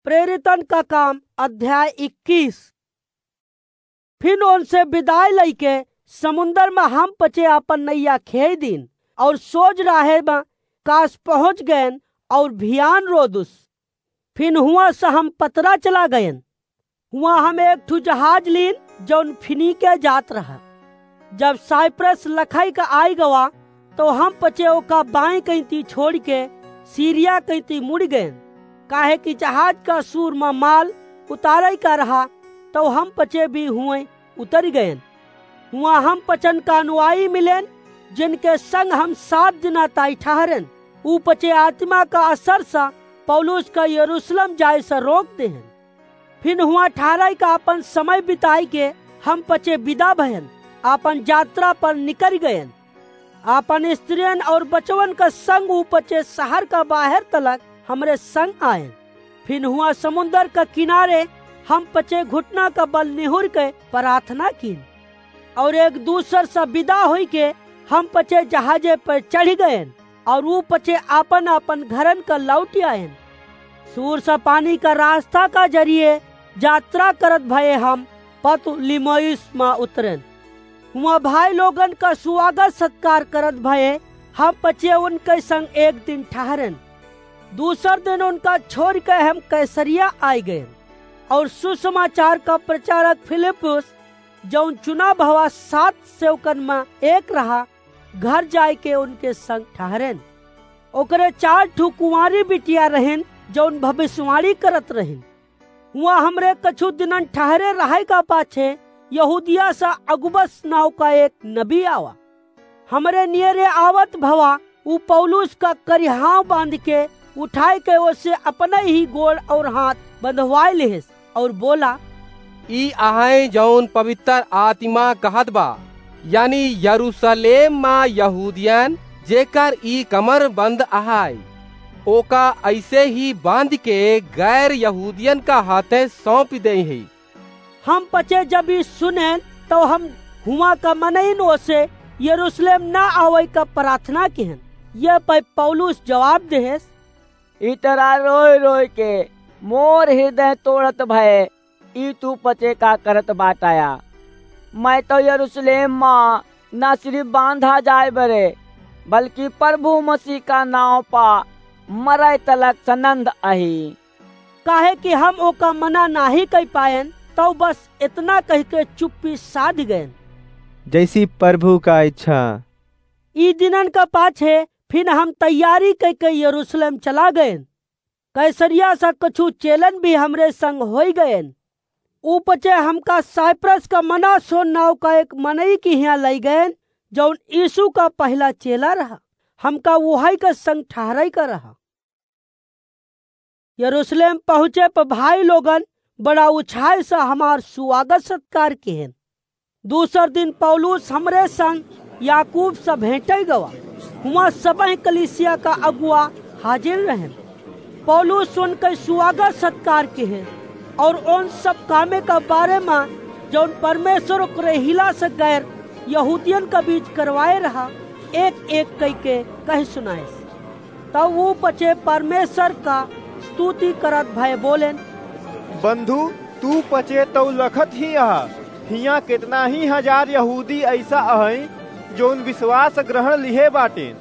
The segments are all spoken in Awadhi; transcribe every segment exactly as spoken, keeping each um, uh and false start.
प्रेरितन का काम, अध्याय इक्कीस। फिन उनसे बिदाई लइके समुंदर मा हम पचे आपन नैया खेइ दीन और सोज राहे मा कास पहुँच गएन और भियान रोदुस। फिन हुआँ से हम पतरा चला गएन। हुआँ हम एक ठु जहाज लीन, जौन फिनीके जात रहा। जब साइप्रस लखई का आइ गवा, तउ हम पचे ओका बाईं कइती छोड़िके सीरिया कइती मुड़ि गएन, काहे कि जहाज का सूर मा माल उतारइ का रहा, तउ हम पचे भी हुवइँ उतरि गएन। हुआँ हम पचन का अनुयायी मिलेन, जिनके संग हम सात दिना ताई ठहरेन। ऊ पचे आतिमा का असर सा पौलुस का यरूसलम जाए सा रोक देहेन। फिन हुआँ ठहरइ का आपन समय बिताइके हम पचे बिदा भएन, आपन जात्रा पर निकरि गएन। आपन स्त्रियन और बचवन का संग ऊ पचे सहर का बाहेर तलक हमरे संग आएन। फिन हुआँ समुंदर का किनारे हम पचे घुटना का बल निहुरिके पराथना कीन। और एक दूसर सा बिदा होइके हम पचे जहाजे पर चढ़ि गएन और ऊ पचे आपन आपन घरन का लौटि आएन। सूर सा पानी का रास्ता का जरिए जात्रा करत भए हम पतुलिमोइस मा उतरेन। हुआँ भाई लोगन का सुवागत सत्कार करत भए हम पचे उनके संग एक दिन ठहरेन। दूसर दिन उनका छोड़िके हम कैसरिया आइ गएन और सुसमाचार का प्रचारक फिलिप्पुस, जौन चुना भवा सात सेवकन मा एक रहा, घर जाइके उनके संग ठहरेन। ओकरे चार ठु कुँवारी बिटिया रहिन, जौन भविष्यवाणी करत रहिन। हुआँ हमरे कछु दिनन ठहरे रहइ का पाछे यहूदिया सा अगबस नाउँ का एक नबी आवा। हमरे नियरे आवत भवा ऊ पौलुस का करिहाव बाँधिके उठाइके ओसे अपनइ ही गोड़ और हाथ बँधवाइ लिहिस और बोला, "ई अहइँ जौन पवित्र आतिमा कहत बा, यानी यरूसलेम मा यहूदियन, जेकर ई कमर बंद अहइ, ओका अइसे ही बाँधिके गैर यहूदियन का हाथे सौंपि देइहीं।" हम पचे जब ई सुनेन, तउ हम हुआँ का मनइन ओसे यरूसलेम न आवइ का पराथना किहेन। यह पइ पौलुस जवाब देहेस, "इतरा रोइ रोइके मोर हिरदय तोड़त भए ई तू पचे का करत बाटया? मइँ तउ यरूसलेम मा न सिरिफ बाँधा जाए बरे, बल्कि परभू मसीह का नाउँ पा मरइ तलक सनन्द अही।" काहे कि हम ओका मना नाहीं कइ पाएन, तउ बस एतना कहिके चुप्पी साधि गएन। जइसी परभू का इच्छा। ई दिनन का पाछे फिन हम तैयारी कइके यरूसलेम चला गएन। कैसरिया सा कछु चेलन भी हमरे संग होइ गएन। ऊ पचे हमका साइप्रस का मनासोन नाउँ का एक मनई की हियाँ लइ गएन, जौन यीसू का पहिला चेला रहा। हमका उहइ का संग ठहरइ का रहा। यरूसलेम पहुँचे प भाई लोगन बड़ा उछाह स हमार सुवागत सत्कार किहेन। दूसर दिन पौलुस हमरे संग याकूब स भेंटइ गवा। हुआँ सबहिं कलीसिया का अगुवा हाजिर रहेन। पौलुस उनके सुवागत सत्कार किहे और उन सब कामे का बारे मा जौन परमेश्वर ओकरे हिला स गैर यहूदियन का बीच करवाए रहा, एक एक कइके कहि सुनाइस। तब ऊ पचे परमेश्वर का स्तुति करत भए बोलेन, बंधु, तू पचे तउ लखत ही अहा, हियाँ केतना ही हजार यहूदी अइसा अहइँ, जौन विश्वास ग्रहण लिहे बाटेन।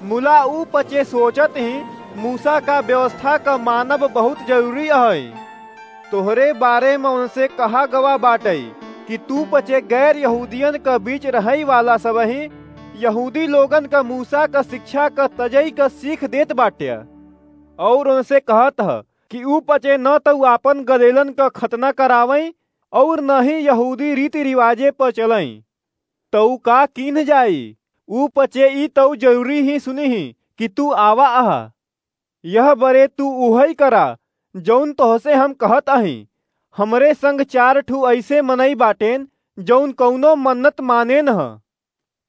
मुला ऊ पचे सोचत ही, मूसा का व्यवस्था का मानब बहुत जरूरी अहइँ। तोहरे बारे म उनसे कहा गवा बाटइ कि तू पचे गैर यहूदियन क बीच रहइ वाला सबहिं यहूदी लोगन क मूसा क शिक्षा क तजइ क सीख देत बाट्या। अउर उनसे कहत ह कि ऊ पचे न तउ आपन गदेलन क खतना करावइँ अउर न ही यहूदी रीति रिवाजे प चलइँ। तउ का कीन्ह जाई? ऊ पचे ई तउ जरूरी ही सुनिहीं कि तू आवा अहा। यह बरे तू उहइ करा, जउन तोहसे हम कहत अहीं। हमरे संग चार ठू अइसे मनई बाटेन, जउन कउनो मन्नत मानेन ह।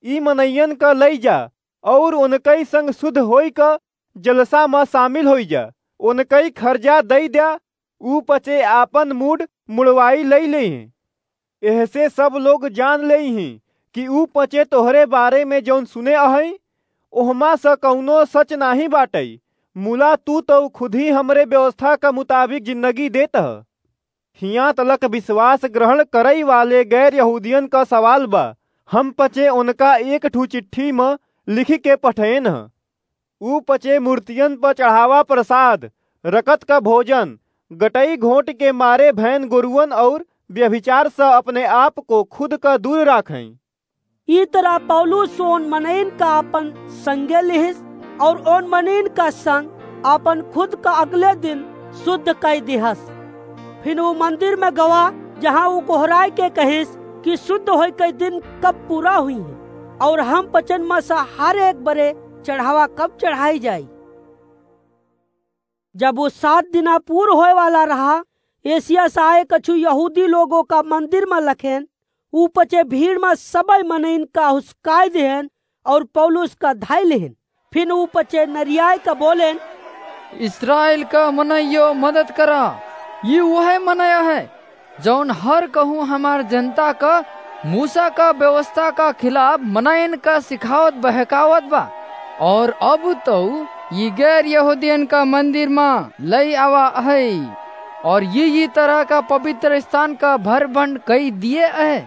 ई मनइयन क लइ जा, अउर ओनकई संग सुध होइ क जलसा म सामिल होइ जा। ओनकई खरजा दइ द्या, ऊ पचे आपन मूड़ मुड़वाई लइ लेइहें। एहसे सब लोग जान लेइहीं कि ऊ पचे तोहरे बारे में जउन सुने अहइँ, ओहमा स कउनो सच नाहीं बाटइ, मुला तू तउ खुदही हमरे व्यवस्था क मुताबिक जिन्दगी देत ह। हियाँ तलक विश्वास ग्रहण करइ वाले गैर यहूदियन क सवाल बा, हम पचे ओनका एक ठू चिट्ठी म लिखिके पठएन ह। ऊ पचे मूर्तियन प चढ़ावा प्रसाद, रकत क भोजन, गटई घोंट के मारे भैन गोरुअन अउर व्यभिचार स अपने आप को खुद क दूर राखइँ। ई तरह पौलुस ओन मनइन का आपन संगे लिहिस अउर ओन मनइन का संग आपन खुद का अगले दिन सुद्ध कइ दिहस। फिन ऊ मंदिर म गवा, जहाँ ऊ गोहराइ के कहिस कि सुद्ध होइ के दिन कब पूरा हुइहैं अउर हम पचन म स हर एक बरे चढ़ावा कब चढ़ाइ जाई। जब ऊ सात दिना पूर होए वाला रहा, एसिया स आए कछु यहूदी लोगो का मंदिर म लखेन, ऊ पचे भीड़ म सबइ मनइन का हुसकाइ देहेन अउर पौलुस का धइ लेहेन। फिन ऊ पचे नरियाइ का बोलेन, "इस्राएल का मनइयो, मदद करा। ई उहइ मनया है, जउन हर कहूँ हमार जनता का मूसा का व्यवस्था का खिलाफ मनइन का सिखावत बहकावत बा। अउर अब तउ ई गैर यहूदियन का मंदिर म लइ आवा अहइ, अउर ई, ई तरह का पवित्र स्थान का भर भंड कइ दिए अहइ।"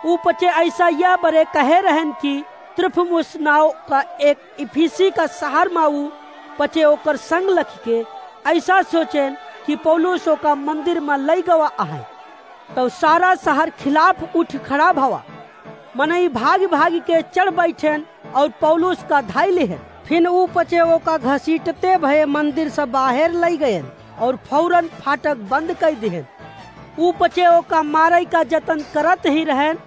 ऊ पचे अइसा यह बरे कहे रहेन कि त्रुफिमुस नाव का एक इफिसी का सहर म ऊ पचे ओकर संग लखिके अइसा सोचेन कि पौलुस ओका मंदिर म लइ गवा अहइ। तउ सारा सहर खिलाफ उठ खड़ा भवा। मनई भागि भागि के चढ़ बइठेन अउर पौलुस का धइ लेहेन। फिन ऊ पचे ओका घसीटते भए मंदिर स बाहेर लइ गएन अउर फौरन फाटक बंद कइ देहेन। ऊ पचे ओका मारइ का जतन करत ही रहेन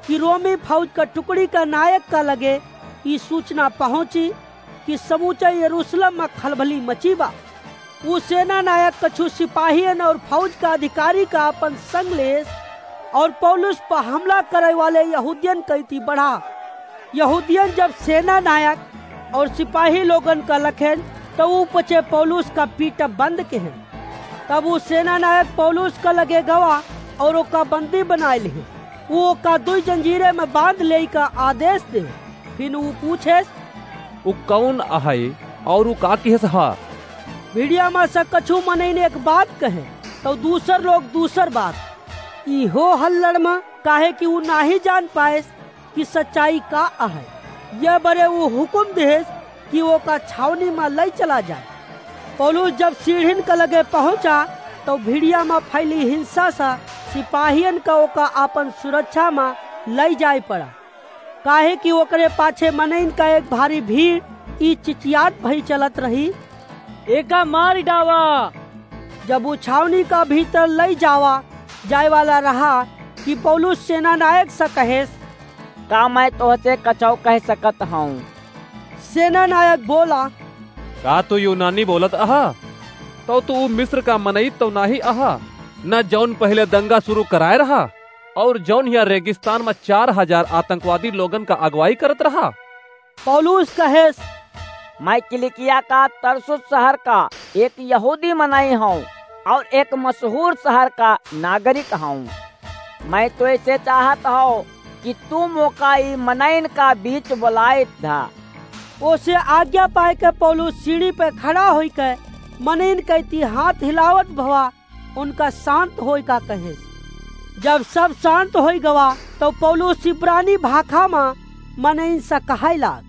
कि रोमी फौज का टुकड़ी का नायक का लगे ई सूचना पहुँची कि समूचा यरूशलेम म खलबली मची बा। ऊ सेना नायक कछु सिपाहियन अउर फौज का अधिकारी का आपन संग लेस अउर पौलुस प हमला करइ वाले यहूदियन कइती बढ़ा। यहूदियन जब सेना नायक अउर सिपाही लोगन का लखेन, तउ ऊ पचे पौलुस का पीटब बंद केहेन। तब ऊ सेना नायक पौलुस का लगे गवा अउर ओका बंदी बनाइ लिहे। ऊ ओका दुइ जंजीरे म बांध लेइ का आदेस दे। फिन ऊ पूछेस, "ऊ कउन अहइ अउर ऊ का किहेस हा?" भिड़िया म स कछु मनइन एक बात कहे, तउ दूसर लोग दूसर बात। इहो हल्लड़ म, काहे कि ऊ नाहीं जान पाएस कि सच्चाई का अहइ। यह बरे ऊ हुकुम देहेस कि ओका छावनी म लइ चला जाए। पौलुस जब सीढ़िन क लगे पहुँचा, तउ भिड़िया म फइली हिंसा स सिपाहियन क ओका आपन सुरक्षा म लइ जाइ पड़ा, काहे कि ओकरे पाछे मनइन क एक भारी भीड़ ई चिचियात भई चलत रही, "एका मारि डावा।" जब ऊ छावनी का भीतर लइ जावा जाइ वाला रहा कि पौलुस सेना नायक स कहेस, "का मैं तोहसे कछउ कहि सकत हउँ?" सेना नायक बोला, "का तू यूनानी बोलत अहा? तउ तू ऊ मिस्र का मनई तउ नाहीं अहा, न जउन पहिले दंगा सुरू कराए रहा, अउर जउन हियाँ रेगिस्तान म चार हजार आतंकवादी लोगन का अगुवाई करत रहा?" पौलुस कहेस, "मैं किलिकिया का तरसुस सहर का एक यहूदी मनई हउँ अउर एक मशहूर सहर का नागरिक हउँ। मैं तोहसे चाहत हउँ कि तू मोका ई मनइन का बीच बोलाइत धा।" ओसे आज्ञा पाइके पौलुस सीढ़ी पे खड़ा होइके मनइन कइती हाथ हिलावत भवा उनका शांत होइका कहेस। जब सब शांत होइ गवा, तउ पौलुस इब्रानी भाखा म मनइन स कहइ लाग,